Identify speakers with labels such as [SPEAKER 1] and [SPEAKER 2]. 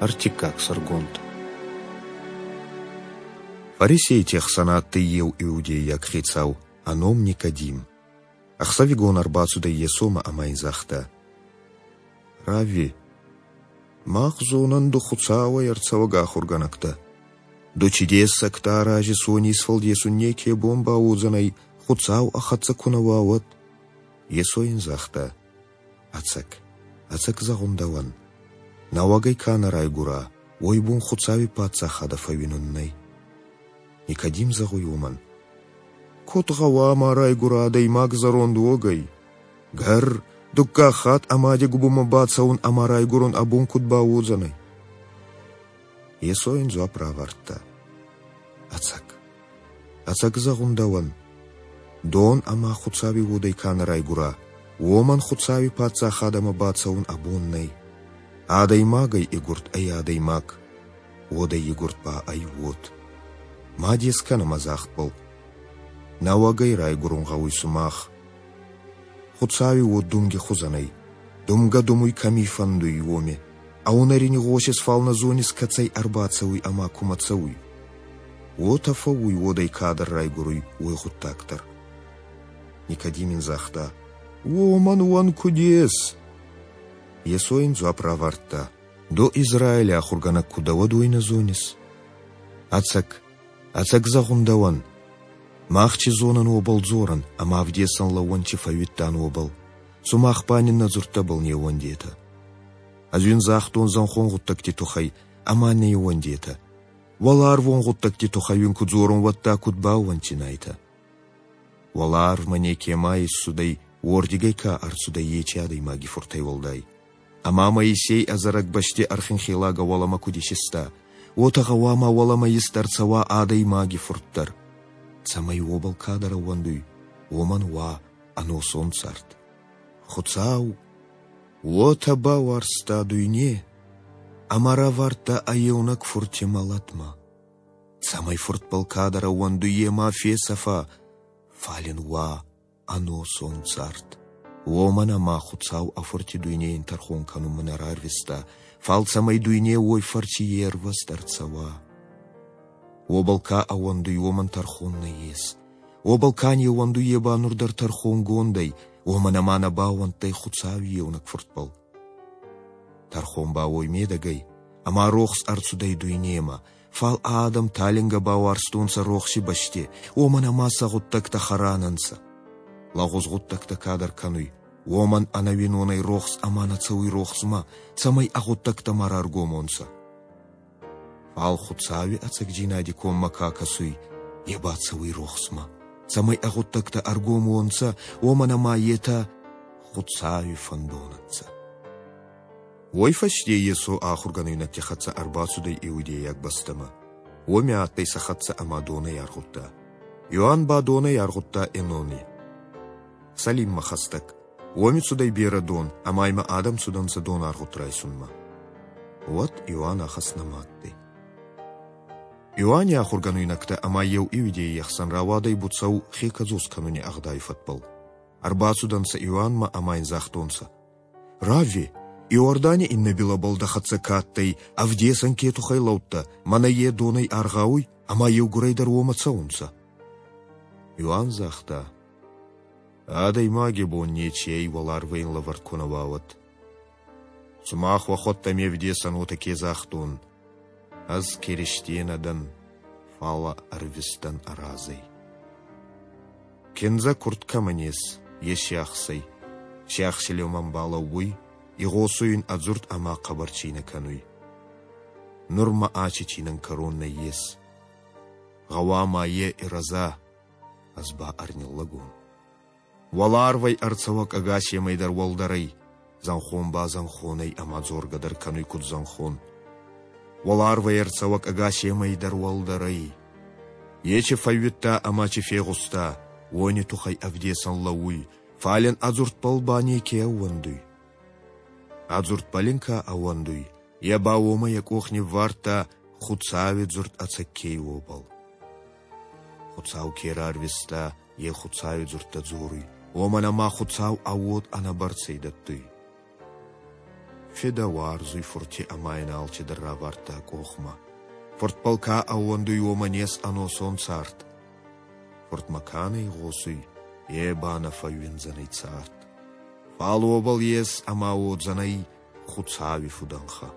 [SPEAKER 1] Ӕртиккаг сӕргонд. Фарисейти ӕхсӕн адтӕй еу иудейаг хецау, ӕ ном Никодим. Ӕхсӕвигон ӕрбацудӕй Йесомӕ ӕма ин загъта: «Равви, мах зонӕн ду Хуцауӕй ӕрцӕуӕг ахургӕнӕг дӕ. Ду ци дессӕгтӕ аразис, уони исфӕлдесун неке бон бауодзӕнӕй, Хуцау ӕ хӕццӕ ку нӕ уа, уӕд». Йесо ин загъта: Ӕцӕг, ӕцӕг зӕгъун дӕуӕн, нӕуӕгӕй ка нӕ райгура, уой бон Хуцауи Паддзахадӕ фӕууинун нӕй. Никодим зӕгъуй уомӕн: Куд гъӕуама райгура адӕймаг зӕронд уогӕй? Гӕрр, дуккаг хатт ӕ мади губунмӕ бацӕун ӕма райгурун ӕ бон куд бауодзӕнӕй? Йесо ин дзуапп равардта: Ӕцӕг, ӕцӕг зӕгъун дӕуӕн, дон ӕма Хуцауи уодӕй ка нӕ райгура, уомӕн Хуцауи Паддзахадӕмӕ бацӕун ӕ бон нӕй. Адӕймагӕй игурд ӕй адӕймаг, уодӕй игурд ба ӕй уод. Ма дес кӕнӕ мӕ загъдбӕл. Нӕуӕгӕй райгурун гъӕуй сумах. Хуцауи уод думги хузӕн ӕй. Думгӕ думуй кӕми фӕндуй, уоми. Ӕ унӕри игъосис, фал нӕ зонис, кӕцӕй ӕрбацӕуй ӕма кумӕ цӕуй. Уотӕ фӕууй уодӕй кадӕр райгуруй, уой гъуддаг дӕр. Никодим ин загъта: Уомӕн уӕн куд ес? Йесо ин дзуапп равардта: Ду Израили ахургӕнӕг ку дӕ, уӕд уой нӕ зонис? Ӕцӕг, ӕцӕг зӕгъун дӕуӕн, мах чи зонӕн, уобӕл дзорӕн, ӕма ӕвдесӕн лӕууӕн чи фӕууидтан, уобӕл. Сумах ба нин нӕ дзурдтӕбӕл не ууӕндетӕ. Ӕз уин загътон зӕнхон гъуддӕгти туххӕй, ӕма не ууӕндетӕ. Уӕларвон гъуддӕгти туххӕй уин ку дзорон, уӕдта куд баууӕнддзинайтӕ? Уӕларвмӕ некема иссудӕй, уордигӕй ка ӕрцудӕй, ечи адӕймаги фуртӕй уӕлдай. Ӕма Моисей ӕдзӕрӕг бӕсти ӕрхинхелагӕ уӕлӕмӕ куд исиста, уотӕ гъӕуама уӕлӕмӕ ист ӕрцӕуа адӕймаги фурт дӕр, цӕмӕй уобӕл кадӕр ӕууӕндуй, уомӕн уа ӕносон цард. Хуцау уотӕ бауарзта дуйне, ӕма равардта ӕ еунӕг фурти мӕлӕтмӕ, цӕмӕй фуртбӕл кадӕр ӕууӕндуй, е ма фесӕфа, фал ин уа ӕносон цард. Уомӕн ӕма Хуцау ӕ фурти дуйнейӕн тӕрхон кӕнунмӕ нӕ рарвиста, фал цӕмӕй дуйне уой фӕрци ервӕзт ӕрцӕуа. Уобӕл ка ӕууӕндуй, уомӕн тӕрхон нӕййес. Уобӕл ка не ууӕндуй, е ба нур дӕр тӕрхонгонд ӕй, уомӕн ӕма нӕ баууӕндтӕй Хуцауи еунӕг Фуртбӕл. Тӕрхон ба уой медӕг ӕй, ӕма рохс ӕрцудӕй дуйнемӕ, фал адӕм талингӕ бауарзтонцӕ рохси бӕсти, уомӕн ӕма сӕ гъуддӕгтӕ хӕран ӕнцӕ. Лӕгъуз гъуддӕгтӕ кадӕр кӕнуй, уомӕн ӕнӕуинонӕй рохс ӕма нӕ цӕуй рохсмӕ, цӕмӕй ӕ гъуддӕгтӕ ма раргом уонцӕ. Фал Хуцауи ӕцӕгдзийнади коммӕ ка кӕсуй, е ба цӕуй рохсмӕ, цӕмӕй ӕ гъуддӕгтӕ ӕргом уонцӕ, уомӕн ӕма етӕ Хуцауи фӕндон ӕнцӕ. Уой фӕсте Йесо ахургӕнуйнӕгти хӕццӕ ӕрбацудӕй иудейаг бӕстӕмӕ. Уоми адтӕй сӕ хӕццӕ ӕма донӕй аргъудта. Иоанн ба донӕй аргъудта Энони. Салиммӕ хӕстӕг. Уоми цудӕй берӕ дон, ӕма имӕ адӕм цудӕнцӕ донаргъуд райсунмӕ. Уӕд Иоанн ахӕс нӕма адтӕй. Иоанни ахургӕнуйнӕгтӕ ӕма еу иудейи ӕхсӕн рауадӕй буцӕу хе кӕдзос кӕнуни ӕгъдауи фӕдбӕл. Ӕрбацудӕнцӕ Иоаннмӕ ӕма ин загътонцӕ: Равви, Иордани иннӕ билӕбӕл дӕ хӕццӕ ка адтӕй, ӕвдесӕн ке туххӕй лӕудтӕ, мӕнӕ е донӕй аргъауй, ӕма еугурӕй дӕр уомӕ цӕунцӕ. Иоанн загъта: Адӕймаги бон нечи ӕй уӕларвӕй ин лӕвӕрд ку нӕ уа, уӕд. Сумах уӕхуӕдтӕ ме вдесӕн уотӕ ке загътон, ӕз Киристе нӕ дӕн, фал ӕрвистӕн ӕ разӕй. Киндзӕ курд кӕмӕн ес, е сиахсӕй. Сиахси лӕумӕн балӕууй, игъосуй ин ӕ дзурд ӕма хъӕбӕр цийнӕ кӕнуй. Нур мӕ ачи цийнӕн кӕрон нӕййес. Гъӕуама е ирӕза, ӕз ба ӕрниллӕг уон. Уӕларвӕй ӕрцӕуӕг ӕгасемӕй дӕр уӕлдӕр ӕй, зӕнхон ба зӕнхон ӕй ӕма дзоргӕ дӕр кӕнуй куд зӕнхон. Уӕларвӕй ӕрцӕуӕг ӕгасемӕй дӕр уӕлдӕр ӕй. Ечи фӕууидта ӕма чи фегъуста, уони туххӕй ӕвдесӕн лӕууй, фал ин ӕ дзурдбӕл ба неке ӕууӕндуй. Ӕ дзурдбӕл ин ка ӕууӕндуй, е ба уомӕ йӕ къох ниввардта Хуцауи дзурд ӕцӕг ке уобӕл. Хуцау ке рарвиста, е Хуцауи дзурдтӕ дзоруй, уомӕн ӕма Хуцау ӕ уод ӕнӕбӕрцӕй дӕттуй. Фидӕ уарзуй Фурти ӕма ин алчидӕр равардта ӕ къохмӕ. Фуртбӕл ка ӕууӕндуй, уомӕн ес ӕносон цард. Фуртмӕ ка нӕ игъосуй, е ба нӕ фӕууиндзӕнӕй цард. Фал уобӕл ес ӕма уодзӕнӕй Хуцауи фудӕнхӕ.